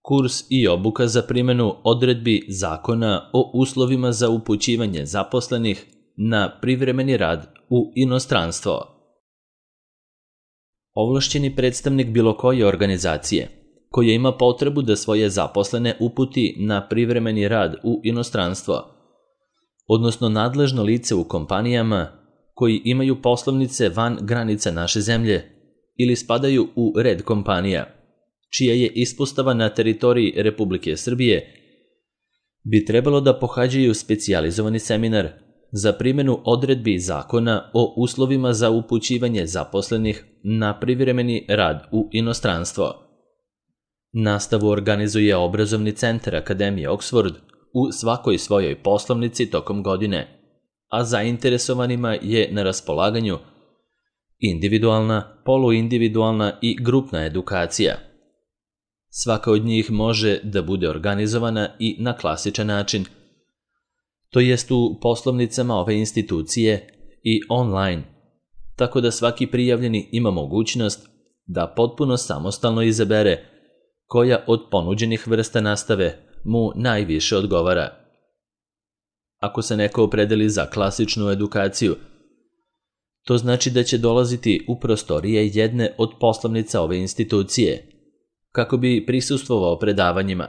kurs i obuka za primjenu odredbi Zakona o uslovima za upućivanje zaposlenih na privremeni rad u inostranstvo. Ovlašćeni predstavnik bilo koje organizacije koja ima potrebu da svoje zaposlene uputi na privremeni rad u inostranstvo, odnosno nadležno lice u kompanijama koji imaju poslovnice van granica naše zemlje ili spadaju u red kompanija, čija je ispostava na teritoriji Republike Srbije, bi trebalo da pohađaju specijalizovani seminar za primjenu odredbi Zakona o uslovima za upućivanje zaposlenih na privremeni rad u inostranstvo. Nastavu organizuje obrazovni centar Akademije Oxford u svakoj svojoj poslovnici tokom godine, a zainteresovanima je na raspolaganju individualna, poluindividualna i grupna edukacija. Svaka od njih može da bude organizovana i na klasičan način, to jest u poslovnicama ove institucije i online, tako da svaki prijavljeni ima mogućnost da potpuno samostalno izabere koja od ponuđenih vrsta nastave mu najviše odgovara. Ako se neko opredeli za klasičnu edukaciju, to znači da će dolaziti u prostorije jedne od poslovnica ove institucije, kako bi prisustvovao predavanjima,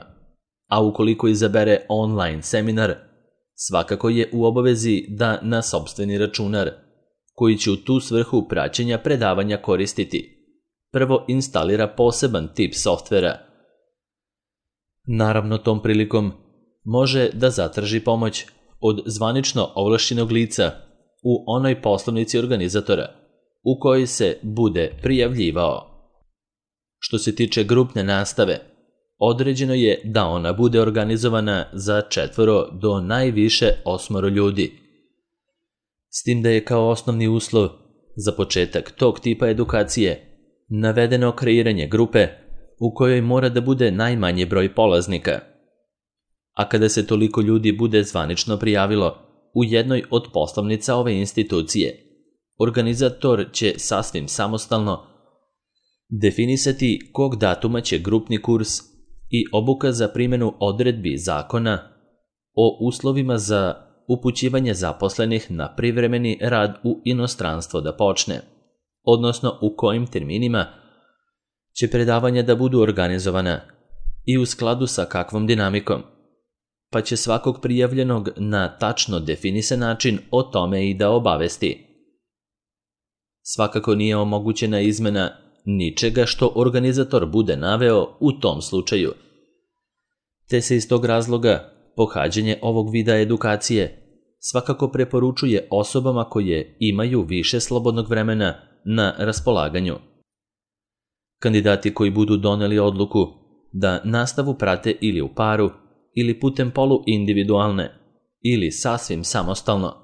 a ukoliko izabere online seminar, svakako je u obavezi da na sopstveni računar, koji će u tu svrhu praćenja predavanja koristiti, prvo instalira poseban tip softvera. Naravno, tom prilikom može da zatraži pomoć od zvanično ovlašćenog lica u onoj poslovnici organizatora u kojoj se bude prijavljivao. Što se tiče grupne nastave, određeno je da ona bude organizovana za 4 do najviše 8 ljudi. S tim da je kao osnovni uslov za početak tog tipa edukacije navedeno kreiranje grupe u kojoj mora da bude najmanji broj polaznika. A kada se toliko ljudi bude zvanično prijavilo u jednoj od poslovnica ove institucije, organizator će sasvim samostalno definisati kog datuma će grupni kurs i obuka za primjenu odredbi Zakona o uslovima za upućivanje zaposlenih na privremeni rad u inostranstvo da počne, odnosno u kojim terminima će predavanja da budu organizovana i u skladu sa kakvom dinamikom, pa će svakog prijavljenog na tačno definisan način o tome i da obavesti. Svakako nije omogućena izmena ničega što organizator bude naveo u tom slučaju, te se iz tog razloga pohađanje ovog vida edukacije svakako preporučuje osobama koje imaju više slobodnog vremena na raspolaganju. Kandidati koji budu doneli odluku da nastavu prate ili u paru ili putem poluindividualne ili sasvim samostalno,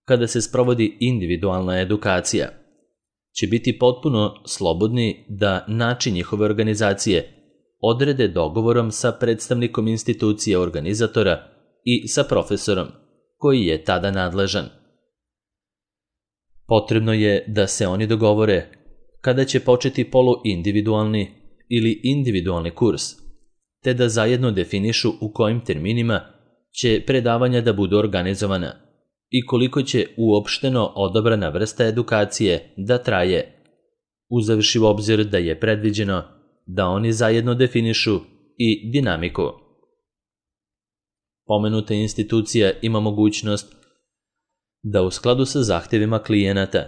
kada se sprovodi individualna edukacija, će biti potpuno slobodni da način njihove organizacije odrede dogovorom sa predstavnikom institucije organizatora i sa profesorom koji je tada nadležan. Potrebno je da se oni dogovore kada će početi poluindividualni ili individualni kurs, te da zajedno definišu u kojim terminima će predavanja da budu organizovana i koliko će uopšteno odabrana vrsta edukacije da traje, uzevši u obzir da je predviđeno da oni zajedno definišu i dinamiku. Pomenuta institucija ima mogućnost da u skladu sa zahtjevima klijenata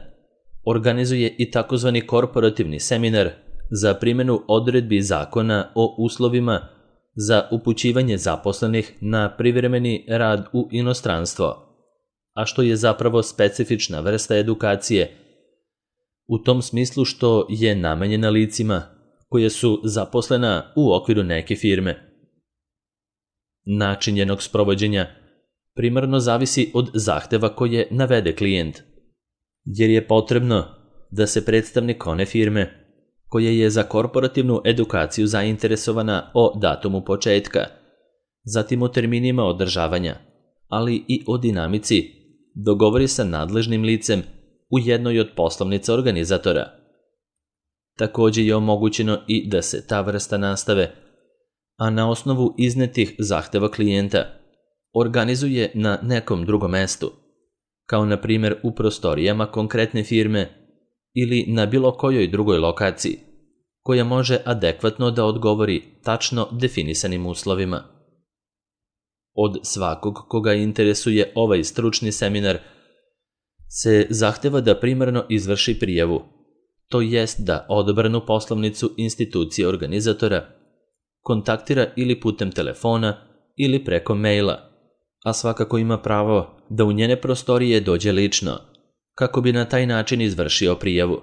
organizuje i takozvani korporativni seminar za primjenu odredbi Zakona o uslovima za upućivanje zaposlenih na privremeni rad u inostranstvo, a što je zapravo specifična vrsta edukacije, u tom smislu što je namenjena licima koje su zaposlena u okviru neke firme. Način njenog sprovođenja primarno zavisi od zahteva koje navede klijent, jer je potrebno da se predstavnik one firme koja je za korporativnu edukaciju zainteresovana o datumu početka, zatim o terminima održavanja, ali i o dinamici, dogovori sa nadležnim licem u jednoj od poslovnica organizatora. Također je omogućeno i da se ta vrsta nastave a na osnovu iznetih zahteva klijenta organizuje na nekom drugom mestu, kao na primjer u prostorijama konkretne firme ili na bilo kojoj drugoj lokaciji, koja može adekvatno da odgovori tačno definisanim uslovima. Od svakog koga interesuje ovaj stručni seminar se zahteva da primarno izvrši prijavu, to jest da odabranu poslovnicu institucije organizatora kontaktira ili putem telefona ili preko maila, a svakako ima pravo da u njene prostorije dođe lično, kako bi na taj način izvršio prijavu.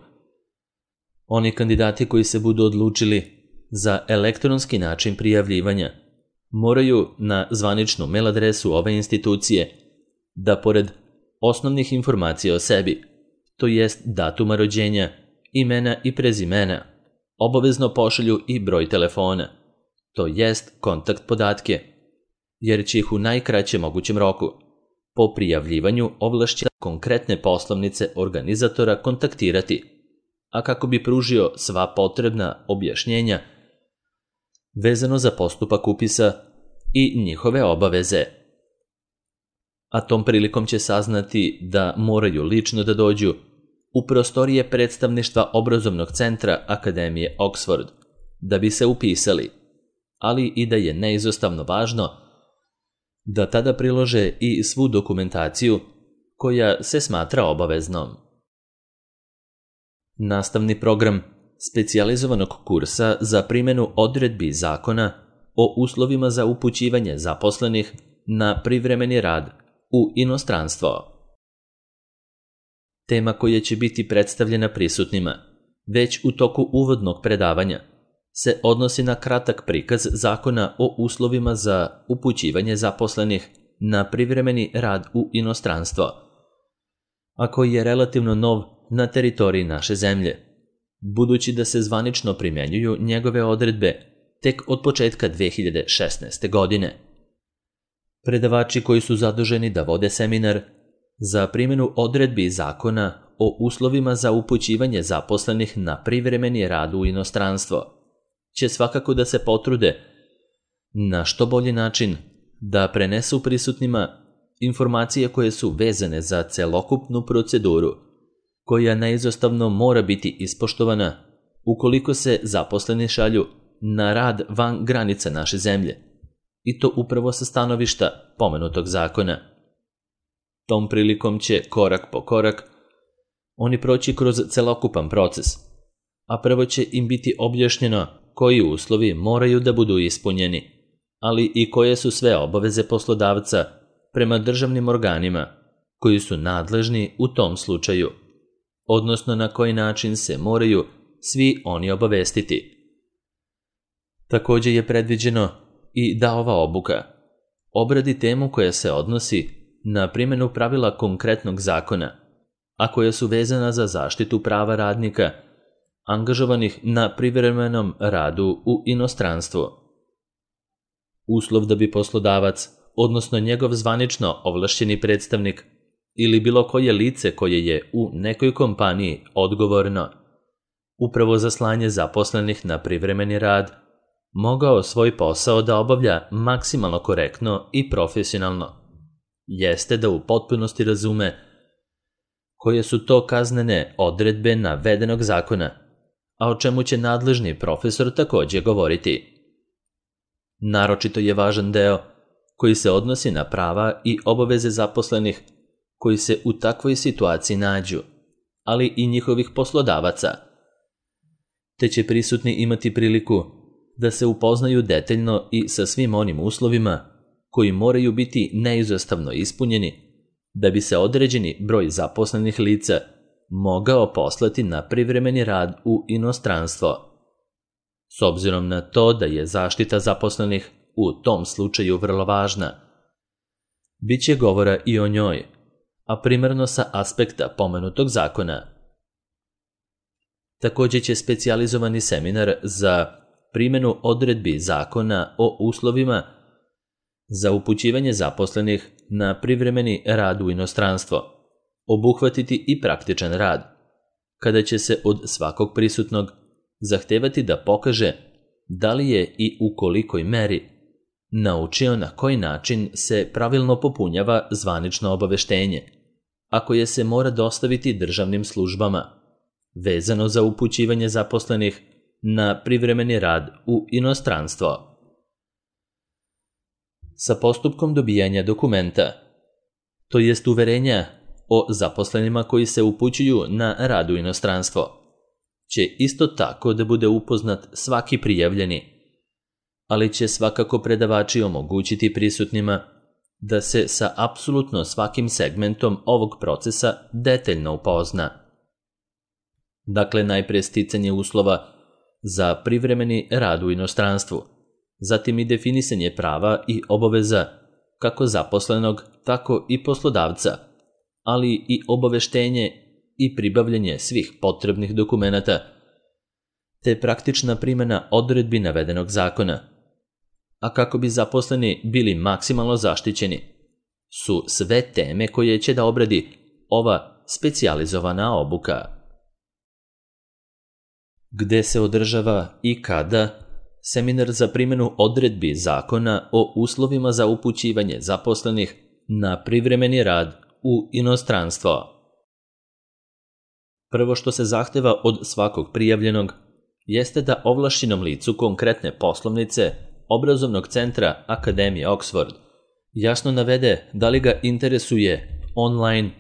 Oni kandidati koji se budu odlučili za elektronski način prijavljivanja moraju na zvaničnu mail adresu ove institucije da pored osnovnih informacija o sebi, to jest datuma rođenja, imena i prezimena, obavezno pošalju i broj telefona, to jest kontakt podatke, jer će ih u najkraćem mogućem roku po prijavljivanju ovlašćena konkretne poslovnice organizatora kontaktirati, a kako bi pružio sva potrebna objašnjenja vezano za postupak upisa i njihove obaveze. A tom prilikom će saznati da moraju lično da dođu u prostorije predstavništva obrazovnog centra Akademije Oxford da bi se upisali, ali i da je neizostavno važno da tada prilože i svu dokumentaciju koja se smatra obaveznom. Nastavni program specijalizovanog kursa za primjenu odredbi zakona o uslovima za upućivanje zaposlenih na privremeni rad u inostranstvo. Tema koja će biti predstavljena prisutnima već u toku uvodnog predavanja se odnosi na kratak prikaz zakona o uslovima za upućivanje zaposlenih na privremeni rad u inostranstvo, a koji je relativno nov na teritoriji naše zemlje, budući da se zvanično primjenjuju njegove odredbe tek od početka 2016. godine. Predavači koji su zaduženi da vode seminar za primjenu odredbi zakona o uslovima za upućivanje zaposlenih na privremeni rad u inostranstvo će svakako da se potrude na što bolji način da prenesu prisutnima informacije koje su vezane za celokupnu proceduru, koja neizostavno mora biti ispoštovana ukoliko se zaposleni šalju na rad van granica naše zemlje, i to upravo sa stanovišta pomenutog zakona. Tom prilikom će korak po korak oni proći kroz celokupan proces, a prvo će im biti objašnjeno koji uslovi moraju da budu ispunjeni, ali i koje su sve obaveze poslodavca prema državnim organima koji su nadležni u tom slučaju, odnosno na koji način se moraju svi oni obavestiti. Također je predviđeno i da ova obuka obradi temu koja se odnosi na primjenu pravila konkretnog zakona, a koja su vezana za zaštitu prava radnika angažovanih na privremenom radu u inostranstvu. Uslov da bi poslodavac, odnosno njegov zvanično ovlašćeni predstavnik ili bilo koje lice koje je u nekoj kompaniji odgovorno upravo za slanje zaposlenih na privremeni rad, mogao svoj posao da obavlja maksimalno korektno i profesionalno, jeste da u potpunosti razume koje su to kaznene odredbe navedenog zakona, a o čemu će nadležni profesor također govoriti. Naročito je važan deo koji se odnosi na prava i obaveze zaposlenih koji se u takvoj situaciji nađu, ali i njihovih poslodavaca, te će prisutni imati priliku da se upoznaju detaljno i sa svim onim uslovima koji moraju biti neizostavno ispunjeni da bi se određeni broj zaposlenih lica mogao poslati na privremeni rad u inostranstvo. S obzirom na to da je zaštita zaposlenih u tom slučaju vrlo važna, bit će govora i o njoj, a primarno sa aspekta pomenutog zakona. Također će specijalizovani seminar za primjenu odredbi zakona o uslovima za upućivanje zaposlenih na privremeni rad u inostranstvo obuhvatiti i praktičan rad, kada će se od svakog prisutnog zahtevati da pokaže da li je i u kolikoj meri naučio na koji način se pravilno popunjava zvanično obaveštenje, a koje se mora dostaviti državnim službama, vezano za upućivanje zaposlenih na privremeni rad u inostranstvo. Sa postupkom dobijanja dokumenta, to jest uverenja o zaposlenima koji se upućuju na rad u inostranstvo, će isto tako da bude upoznat svaki prijavljeni, ali će svakako predavači omogućiti prisutnima da se sa apsolutno svakim segmentom ovog procesa detaljno upozna. Dakle, najprije sticanje uslova za privremeni rad u inostranstvu, zatim i definisanje prava i obaveza kako zaposlenog, tako i poslodavca, ali i obaveštenje i pribavljanje svih potrebnih dokumenata, te praktična primjena odredbi navedenog zakona. A kako bi zaposleni bili maksimalno zaštićeni, su sve teme koje će da obradi ova specijalizovana obuka. Gde se održava i kada seminar za primjenu odredbi zakona o uslovima za upućivanje zaposlenih na privremeni rad u inostranstvo. Prvo što se zahteva od svakog prijavljenog jeste da ovlašćenom licu konkretne poslovnice obrazovnog centra Akademije Oxford jasno navede da li ga interesuje online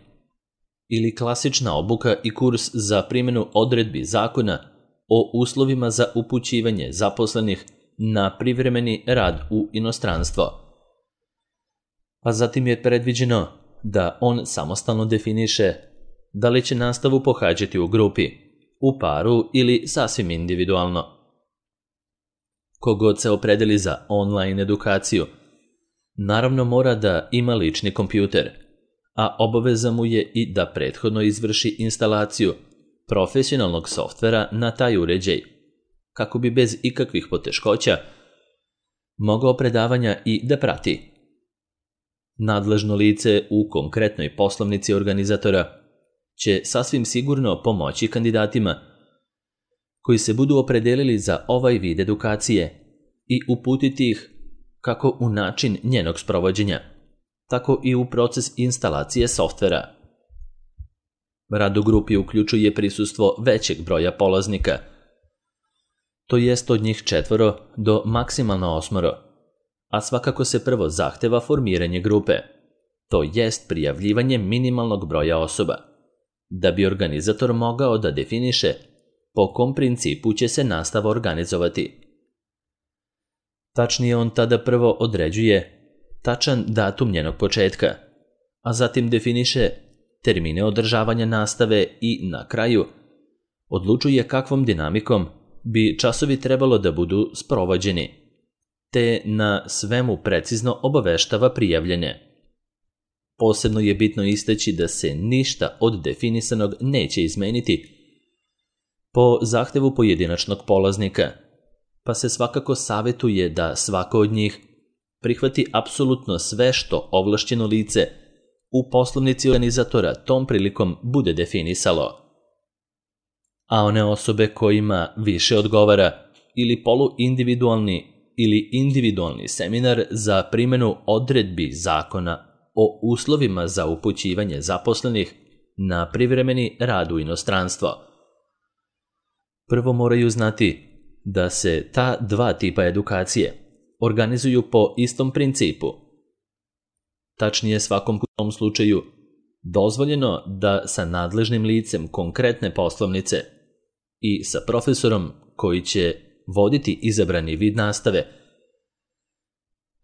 ili klasična obuka i kurs za primjenu odredbi zakona o uslovima za upućivanje zaposlenih na privremeni rad u inostranstvo. A zatim je predviđeno da on samostalno definiše da li će nastavu pohađati u grupi, u paru ili sasvim individualno. Kogod se opredeli za online edukaciju, naravno mora da ima lični kompjuter, a obaveza mu je i da prethodno izvrši instalaciju profesionalnog softvera na taj uređaj, kako bi bez ikakvih poteškoća mogao predavanja i da prati. Nadležno lice u konkretnoj poslovnici organizatora će sasvim sigurno pomoći kandidatima koji se budu opredelili za ovaj vid edukacije i uputiti ih kako u način njenog sprovođenja, tako i u proces instalacije softvera. Rad u grupi uključuje prisustvo većeg broja polaznika, to jest od njih 4 do maksimalno 8, a svakako se prvo zahteva formiranje grupe, to jest prijavljivanje minimalnog broja osoba, da bi organizator mogao da definiše po kom principu će se nastava organizovati. Tačnije, on tada prvo određuje tačan datum njenog početka, a zatim definiše termine održavanja nastave i na kraju odlučuje kakvom dinamikom bi časovi trebalo da budu sprovođeni, te na svemu precizno obaveštava prijavljene. Posebno je bitno istaći da se ništa od definisanog neće izmeniti po zahtevu pojedinačnog polaznika, pa se svakako savjetuje da svako od njih prihvati apsolutno sve što ovlašćeno lice u poslovnici organizatora tom prilikom bude definisalo. A one osobe kojima više odgovara ili poluindividualni ili individualni seminar za primjenu odredbi zakona o uslovima za upućivanje zaposlenih na privremeni rad u inostranstvo. Prvo moraju znati da se ta dva tipa edukacije organizuju po istom principu. Tačnije, svakom u tom slučaju dozvoljeno da sa nadležnim licem konkretne poslovnice i sa profesorom koji će voditi izabrani vid nastave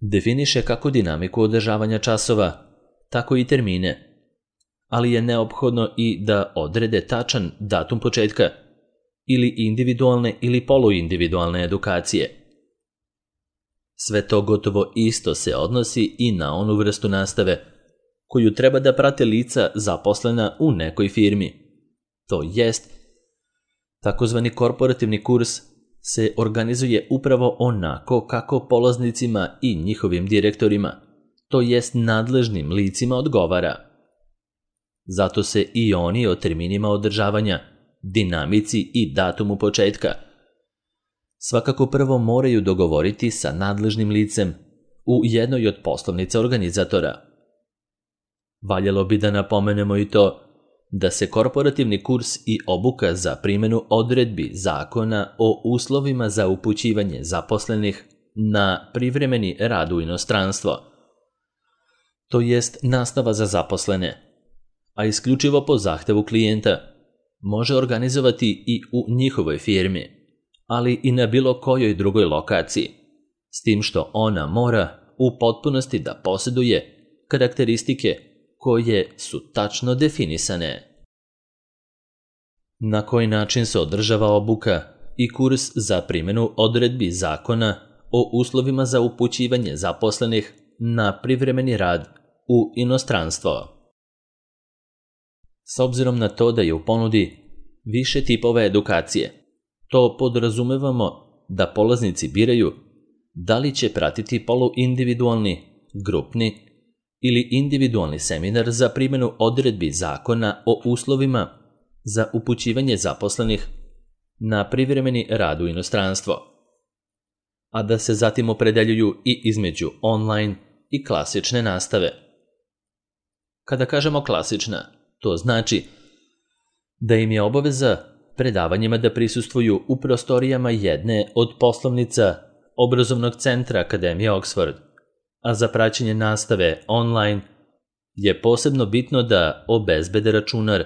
definiše kako dinamiku održavanja časova, tako i termine, ali je neophodno i da odrede tačan datum početka ili individualne ili poluindividualne edukacije. Sve to gotovo isto se odnosi i na onu vrstu nastave koju treba da prate lica zaposlena u nekoj firmi. To jest, takozvani korporativni kurs se organizuje upravo onako kako polaznicima i njihovim direktorima, to jest nadležnim licima odgovara. Zato se i oni o terminima održavanja, dinamici i datumu početka svakako prvo moraju dogovoriti sa nadležnim licem u jednoj od poslovnica organizatora. Valjalo bi da napomenemo i to da se korporativni kurs i obuka za primjenu odredbi zakona o uslovima za upućivanje zaposlenih na privremeni rad u inostranstvo, to jest nastava za zaposlene, a isključivo po zahtevu klijenta, može organizovati i u njihovoj firmi, ali i na bilo kojoj drugoj lokaciji, s tim što ona mora u potpunosti da posjeduje karakteristike koje su tačno definisane. Na koji način se održava obuka i kurs za primjenu odredbi zakona o uslovima za upućivanje zaposlenih na privremeni rad u inostranstvo? S obzirom na to da je u ponudi više tipova edukacije, to podrazumevamo da polaznici biraju da li će pratiti poluindividualni, grupni ili individualni seminar za primjenu odredbi zakona o uslovima za upućivanje zaposlenih na privremeni rad u inostranstvo, a da se zatim opredeljuju i između online i klasične nastave. Kada kažemo klasična, to znači da im je obaveza predavanjima da prisustvuju u prostorijama jedne od poslovnica obrazovnog centra Akademije Oxford, a za praćenje nastave online je posebno bitno da obezbede računar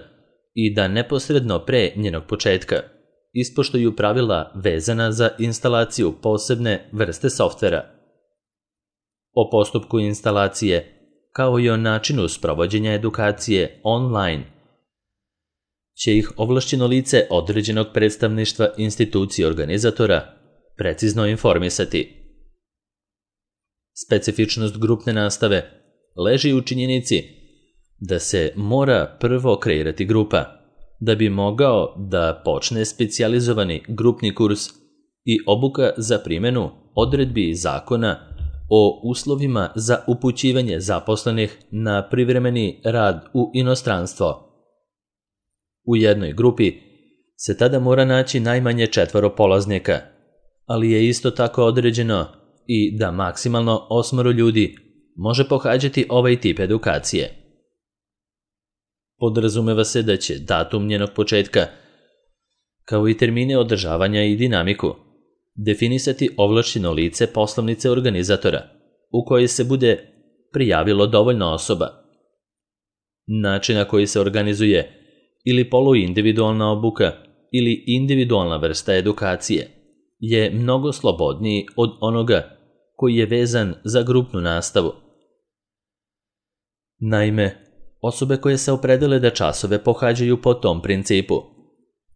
i da neposredno pre njenog početka ispoštuju pravila vezana za instalaciju posebne vrste softvera. O postupku instalacije, kao i o načinu sprovođenja edukacije online, će ih ovlašćeno lice određenog predstavništva institucije organizatora precizno informisati. Specifičnost grupne nastave leži u činjenici da se mora prvo kreirati grupa, da bi mogao da počne specijalizovani grupni kurs i obuka za primjenu odredbi zakona o uslovima za upućivanje zaposlenih na privremeni rad u inostranstvo. U jednoj grupi se tada mora naći najmanje 4 polaznika, ali je isto tako određeno i da maksimalno 8 ljudi može pohađati ovaj tip edukacije. Podrazumeva se da će datum njenog početka, kao i termine održavanja i dinamiku, definisati ovlašćeno lice poslovnice organizatora, u kojoj se bude prijavilo dovoljno osoba. Način na koji se organizuje ili poluindividualna obuka ili individualna vrsta edukacije je mnogo slobodniji od onoga koji je vezan za grupnu nastavu. Naime, osobe koje se opredele da časove pohađaju po tom principu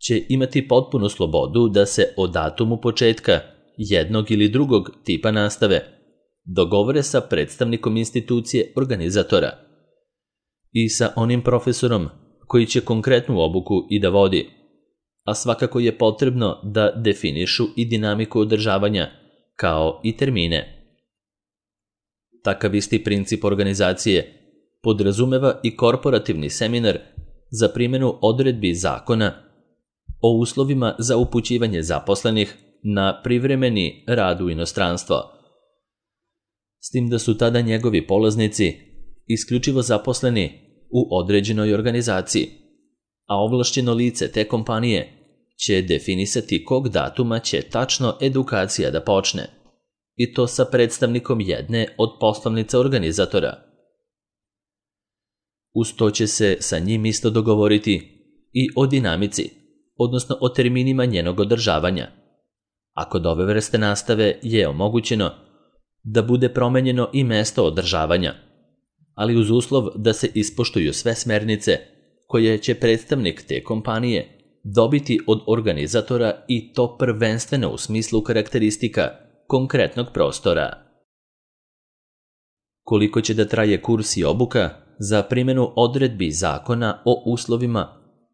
će imati potpunu slobodu da se o datumu početka jednog ili drugog tipa nastave dogovore sa predstavnikom institucije organizatora i sa onim profesorom koji će konkretnu obuku i da vodi, a svakako je potrebno da definišu i dinamiku održavanja, kao i termine. Takav isti princip organizacije podrazumeva i korporativni seminar za primjenu odredbi zakona o uslovima za upućivanje zaposlenih na privremeni rad u inostranstvo, s tim da su tada njegovi polaznici isključivo zaposleni u određenoj organizaciji, a ovlašćeno lice te kompanije će definisati kog datuma će tačno edukacija da počne, i to sa predstavnikom jedne od poslovnica organizatora. Uz to će se sa njim isto dogovoriti i o dinamici, odnosno o terminima njenog održavanja. A kod ove vrste nastave je omogućeno da bude promenjeno i mesto održavanja, ali uz uslov da se ispoštuju sve smernice koje će predstavnik te kompanije dobiti od organizatora, i to prvenstveno u smislu karakteristika konkretnog prostora. Koliko će da traje kurs i obuka za primjenu odredbi zakona o uslovima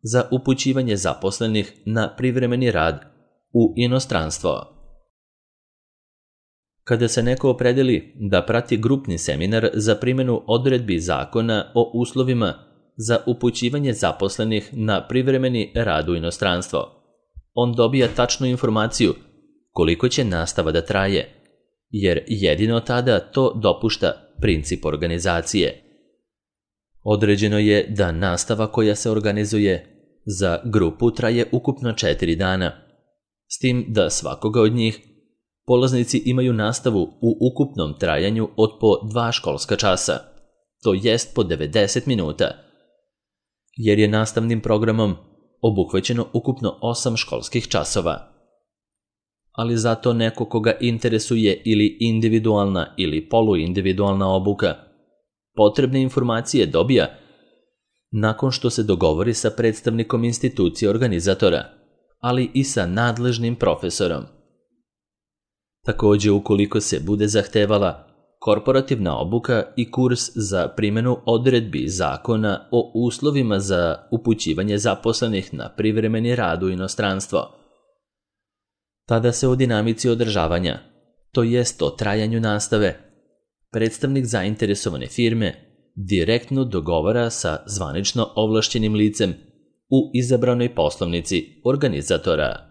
za upućivanje zaposlenih na privremeni rad u inostranstvo? Kada se neko opredeli da prati grupni seminar za primjenu odredbi zakona o uslovima za upućivanje zaposlenih na privremeni rad u inostranstvo, on dobija tačnu informaciju koliko će nastava da traje, jer jedino tada to dopušta princip organizacije. Određeno je da nastava koja se organizuje za grupu traje ukupno 4 dana, s tim da svakoga od njih polaznici imaju nastavu u ukupnom trajanju od po 2 školska časa, to jest po 90 minuta, jer je nastavnim programom obuhvaćeno ukupno 8 školskih časova. Ali zato neko koga interesuje ili individualna ili poluindividualna obuka, potrebne informacije dobija nakon što se dogovori sa predstavnikom institucije organizatora, ali i sa nadležnim profesorom. Također, ukoliko se bude zahtevala korporativna obuka i kurs za primjenu odredbi zakona o uslovima za upućivanje zaposlenih na privremeni rad u inostranstvo, tada se o dinamici održavanja, to jest o trajanju nastave, predstavnik zainteresovane firme direktno dogovara sa zvanično ovlašćenim licem u izabranoj poslovnici organizatora.